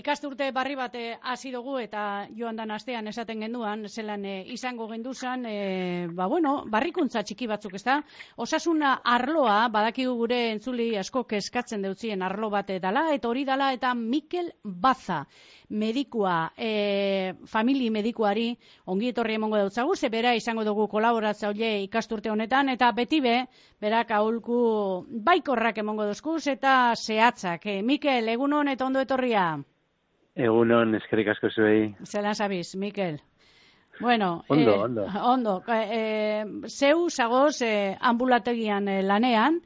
ikasturte barri bat hasi dugu eta joan dan astean esaten genduan, zelan izango genduzan, barrikuntza txiki batzuk, ezta? Osasuna arloa, badakigu gure entzuli asko kezkatzen deutzien arlo bat dala, eta hori dala, eta Mikel Baza, medikua, famili medikuari, ongi etorri emongo dautzagu, ze bera izango dugu kolaboratzaile ikasturte honetan, eta beti berak aholku baikorrak emongo dozkuz, eta zehatzak. Mikel, egunon eta ondo etorria. Egunon, eskerrik asko zuei. Zelan zabiz, Mikel? Bueno, ondo. Zeu zagoz ambulategian lanean,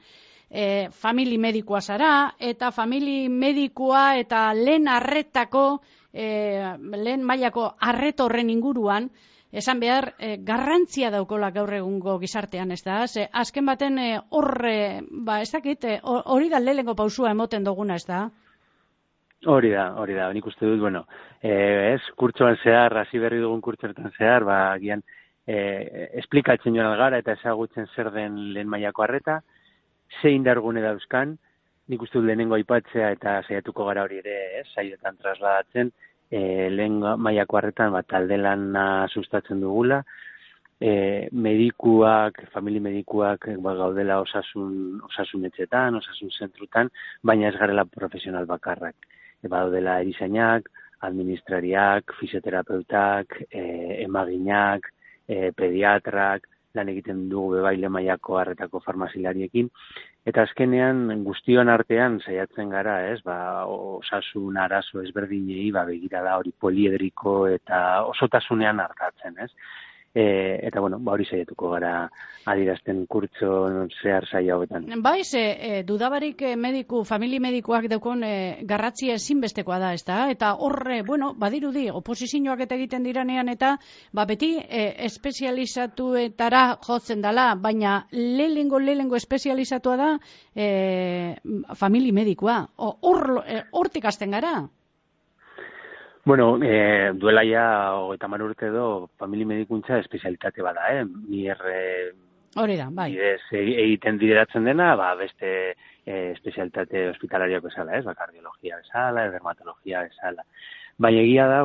famili medikoa zara, eta famili medikoa eta lehen arretako, lehen mailako arreto horren inguruan, esan behar, garrantzia daukola gaur egungo gizartean, ez da? Azken baten ez dakit, hori da lehenengo pausua emoten duguna, ez da? Hori da, nik uste dut, kurtsoan zehar, hasi berri dugun kurtsoetan zehar, gian, esplikatzen joan algara eta ezagutzen zer den lehen mailako arreta, zein dargune dauzkan, nik uste dut lehenengo aipatzea eta saiatuko gara hori ere, saioetan trasladatzen, lehen mailako arretan, talde lana sustatzen dugula, medikuak, famili medikuak gaudela osasun etxetan, osasun zentrutan, baina ez garela profesional bakarrak. Badodela erizainak, administrariak, fisioterapeutak, emaginak, pediatrak, lan egiten dugu bebaile mailako arretako farmazilariekin, eta azkenean guztion artean saiatzen gara, osasun arazo ezberdinei begirada hori poliedriko eta osotasunean hartatzen, eta hori saiatuko gara adierazten kurtso zehar saio hauetan. Dudabarik famili medikuak daukon garratzia ezinbestekoa da, ezta? Eta horre, badirudi, oposizioak eta egiten diranean eta beti espezializatuetara jotzen dela, baina lehenengo espezializatua da famili medikoa. Hortik hasten gara? Duela ja 30 urte edo famili medikuntza espezialitate bada, hori da, bai. Egiten bideratzen dena, beste espezialitate hospitalariak bezala, kardiologia bezala, dermatologia bezala. Baina egia da,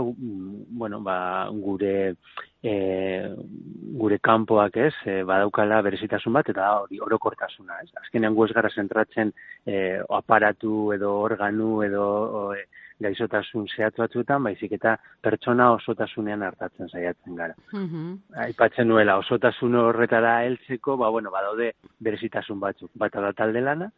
gure kanpoak badaukala berezitasun bat, eta hori orokortasuna, Azkenean gu ez gara zentratzen aparatu edo organu edo gaizotasun zehatz batzuetan, baizik eta pertsona osotasunean hartatzen saiatzen gara. Aipatzen nuela, osotasun horretara heltzeko, badaude berezitasun batzuk. Bata da talde lana,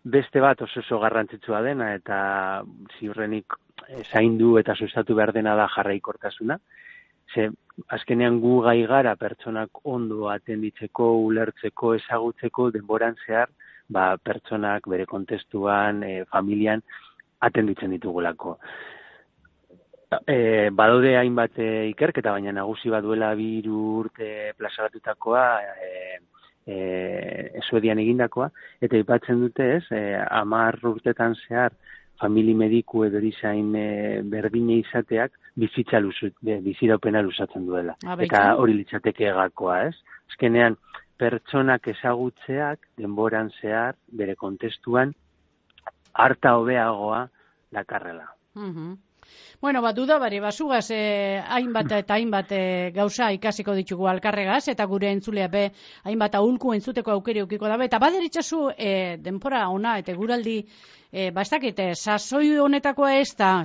beste bat oso garrantzitsua dena, eta ziurrenik zaindu eta sustatu behar dena da jarraikortasuna. Azkenean gu gai gara pertsonak ondo atenditzeko, ulertzeko, ezagutzeko, denboran zehar, pertsonak bere kontestuan, familian, atenditzen ditugulako. Badaude hainbat ikerketa, baina nagusi baduela 2 urte plazaratutakoa, Suedian egindakoa, eta aipatzen dute 10 urtetan zehar famili mediku edo erizain berdine izateak biziraupena luzatzen duela. Eta hori litzateke gakoa, Azkenean, pertsonak ezagutzeak denboran zehar, bere kontestuan, harta hobeagoa dakarrela. Dudabari, basugaz hainbat eta hainbat gauza ikasiko ditugu alkarregaz, eta gure entzuleak hainbat aholku entzuteko aukeri ukiko dabe, eta baderitzazu denpora ona eta guraldi ez dakit, sasoi honetakoa ez da,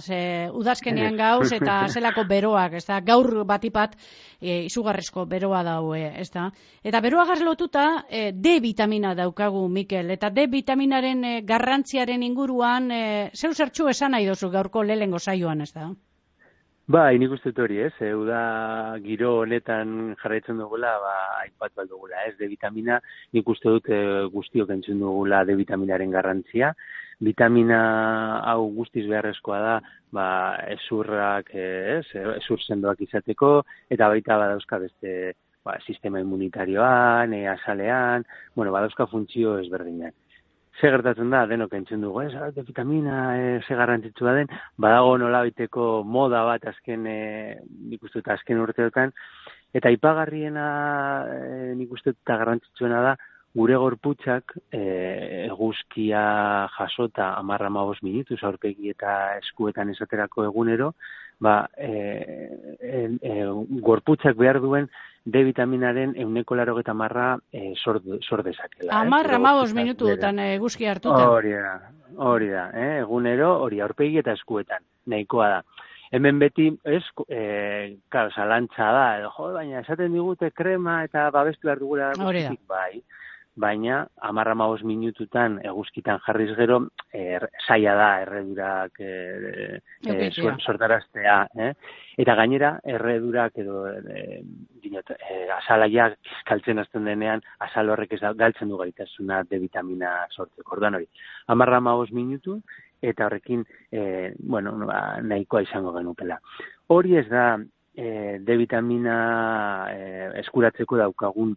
udazkenean gauz eta zelako beroak, ez da, gaur batipat izugarrizko beroa daue, ez da. Eta beroagaz lotuta D vitamina daukagu, Mikel, eta D vitaminaren garrantziaren inguruan zeu zertxu esan nahi dozu gaurko lehengo saioan, ez da? Nik uste hori, da giro honetan jarraitzen dugula, aipatu bat dugula, D vitamina, nik uste dut guztiok entzun dugula D vitaminaren garrantzia. Vitamina hau guztiz beharrezkoa da, ezurrak, ezur sendoak izateko, eta baita badauzka beste sistema immunitarioan, azalean, badauzka funtzio ezberdinak. Ze gertatzen da, denok entzun dugu, D vitamina, ze garrantzitsua den, badago nolabaiteko moda bat nik uste dut azken urteotan, eta aipagarriena nik uste dut garrantzitsuena da, gure gorputzak eguzkia jasota 10-15 minutuz aurpegi eta eskuetan esaterako egunero, gorputzak behar duen D vitaminaren 90% sor dezakela. 10-15 minututan eguzki hartuta. Hori da, egunero, hori aurpegi eta eskuetan, nahikoa da. Hemen beti, zalantza da, baina esaten digute krema eta babestu behar dugula guztitik, bai. Baina, 10-15 minututan eguzkitan jarriz gero, zaila da erredurak sortaraztea. Eta gainera, erredurak edo azalaiak galtzen hasten denean, azal horrek galtzen du gaitasuna D vitamina sortzeko. Orduan hori, 10-15 minutu, eta horrekin, nahikoa izango genukela. Hori ez da D vitamina eskuratzeko daukagun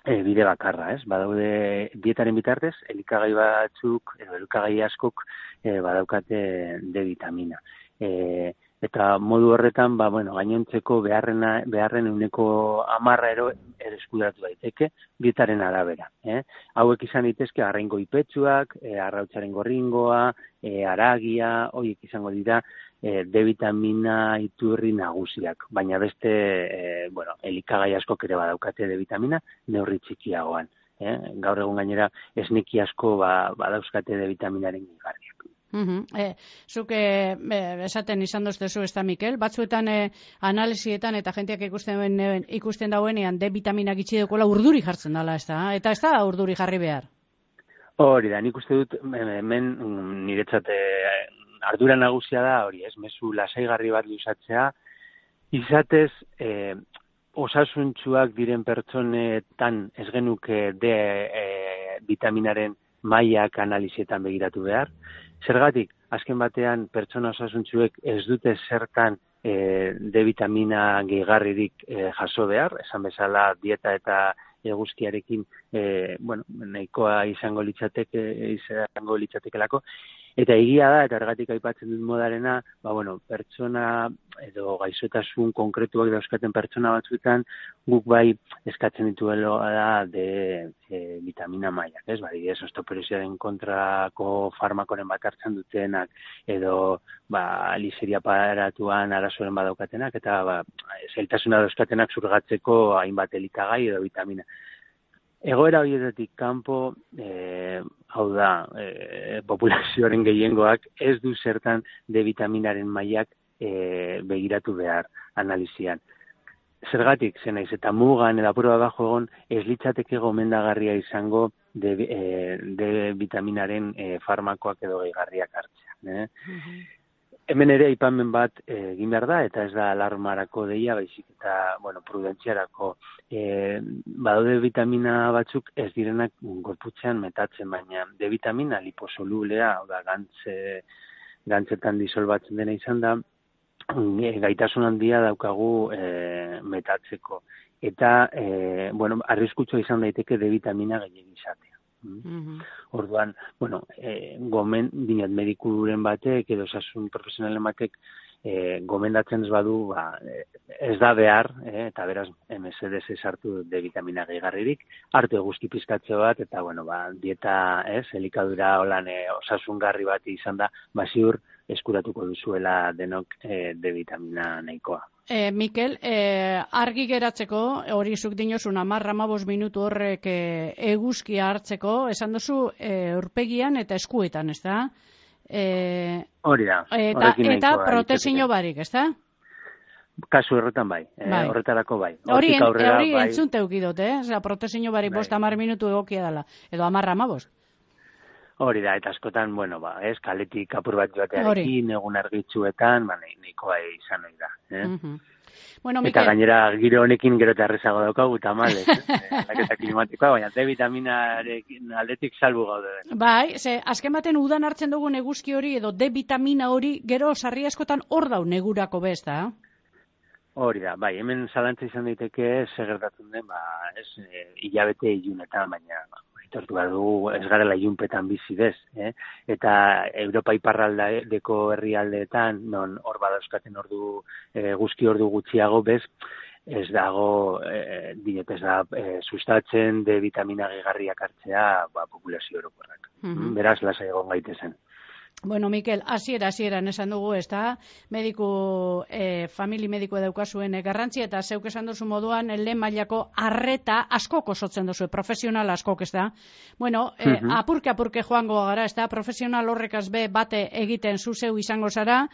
bide bakarra, ez? Badaude dietaren bitartez, elikagai batzuk, edo elikagai askok badaukate D vitamina. Eta modu horretan, gainontzeko beharren 10% eskuratu daiteke, dietaren arabera. Hauek izan daitezke arraingo ipetsuak, arrautzaren gorringoa, aragia, horiek izango dira D vitamina iturri nagusiak. Baina beste, elikagai askok ere badaukate D vitamina, neurri txikiagoan. Gaur egun gainera, esneki asko badauzkate D vitaminaren gehigarriak. Zuk esaten izan doztezu ez da, Mikel, batzuetan analizietan eta jenteak ikusten dauenean D vitamina gitxi dekola urduri jartzen dela, ez da? Eta ez da urduri jarri behar? Hori da, nik uste dut hemen niretzat ardura nagusia da, hori ez, mezu lasaigarri bat luzatzea, izatez osasuntsuak diren pertsonetan ez genuke D vitaminaren mailak analizietan begiratu behar. Zergatik, azken batean pertsona osasuntsuek ez dute zertan D vitamina gehigarririk jaso behar, esan bezala dieta eta eguzkiarekin nahikoa izango litzatekelako. Eta egia da, eta ergatik aipatzen dut modarena, pertsona edo gaixotasun konkretuak dauzkaten pertsona batzuetan, guk bai eskatzen dituela da D vitamina mailak, ez? Adibidez, osteoporosiaren kontrako farmakoren bat hartzen dutenak, edo liseria aparatuan arazoren badaukatenak, eta zailtasuna dauzkatenak zurgatzeko hainbat elikagai edo vitamina. Egoera horietatik kanpo, hau da, populazioaren gehiengoak ez du zertan D vitaminaren mailak begiratu behar analizian. Zergatik, zenaiz, eta mugan edo apurua bajo egon, ez litzateke gomendagarria izango D vitaminaren farmakoak edo gehigarriak hartzea. Hemen ere aipamen bat egin behar da, eta ez da alarmarako deia, baizik eta, prudentziarako. Badaude vitamina batzuk ez direnak gorputzean metatzen, baina D vitamina liposolublea, gantzetan disolbatzen dena izan da, gaitasun handia daukagu metatzeko. Eta, arriskutsua izan daiteke D vitamina gehiago izatea. Orduan, medikuren batek edo osasun profesionalen batek gomendatzen ez badu, ez da behar, eta beraz MSD sartu D vitamina gehigarririk, hartu eguzki pizkatze bat, eta dieta, elikadura holan osasungarri bat izan da, ziur eskuratuko duzuela denok D vitamina nahikoa. Mikel, argi geratzeko, hori zuk dinozun 10-15 minutu horrek eguzkia hartzeko, esan duzu aurpegian eta eskuetan, ez da? Hori da. Eta protezio barik, ez da? Kasu horretan bai, horretarako bai. Hori entzunte eukidot, protezio barik 5-10 minutu egokia dela, edo 10-15. Hori da, eta askotan, kaletik apur bat joatearekin, egun argitzuetan, nahikoa izan nahi da. Eta gainera, giro honekin gero eta errezago daukagu, eta malez, aldaketa klimatikoa, baina D vitaminarekin aldetik salbu gaude. Bai, azken baten udan hartzen dugun eguzki hori, edo D vitamina hori, gero sarri askotan hor dau negurako bezta. Hori da, bai, hemen zalantza izan daiteke segertatzen den, hilabete ilunetan, baina aitortu behar dugu ez garela ilunpetan bizidez, eta Europa iparraldeko herrialdeetan, non hor badauzkaten guzki ordu gutxiago bez, ez dago, dinetez da, sustatzen de vitamina gehigarriak hartzea, populazio orokorrak. Beraz, lasai egon gaitezen. Bueno, Mikel, hasieran esan dugu, ez da, famili mediko daukazuen garrantzi, eta zeuk esan duzu moduan, lehen mailako arreta askok osotzen duzu, profesional askok, ez da. Bueno, apurke joango gara, ez da, profesional horrekaz bate egiten zuzeu izango zara,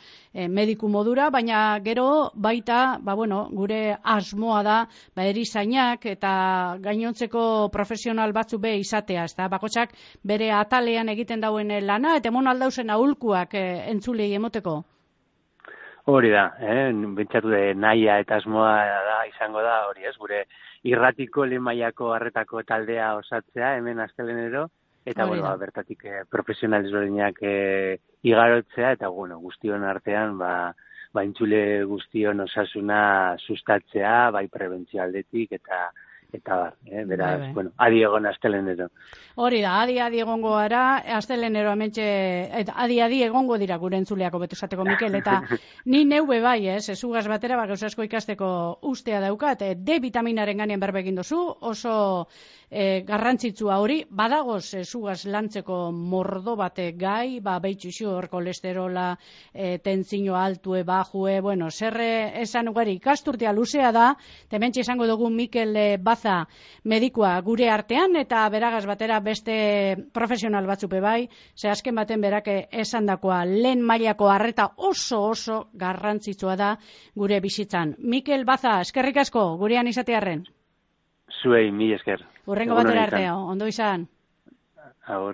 mediku modura, baina gero baita, gure asmoa da, erizainak eta gainontzeko profesional batzu izatea, ez da, bakotxak bere atalean egiten dauen lana, eta mon aldauzen aholkuak entzulei emoteko? Hori da, bentsatu de nahia eta asmoa izango da, hori ez, gure irratiko lehen mailako arretako taldea osatzea, hemen astelenero, eta bertatik profesional ezberdinak igarotzea, eta guztion artean, entzule guztion osasuna sustatzea, bai prebentzio aldetik, eta beraz, adi egon astelenero. Hori da, adi egongo gara, astelenero amentxe, adi egongo dira gure entzuleako betu esateko, Mikel, eta ni neube bai, ezugaz batera, gauz asko ikasteko ustea daukat, D vitaminaren ganean berbegin dozu, oso garrantzitsua hori, badagoz ezugaz lantzeko mordo bate gai, beitxuxur, kolesterola, tentzino altue, bajue, zerre esan ugari, ikasturtea luzea da, tementxe esango dugu Mikel Baza medikua gure artean, eta beragaz batera beste profesional batzupe bai, ze azken baten berak esandakoa lehen mailako arreta oso garrantzitsua da gure bizitzan. Mikel Baza, eskerrik asko, gurean izatearren. Zuei, mil esker. Urrengo batera arte, ondo izan. Agur.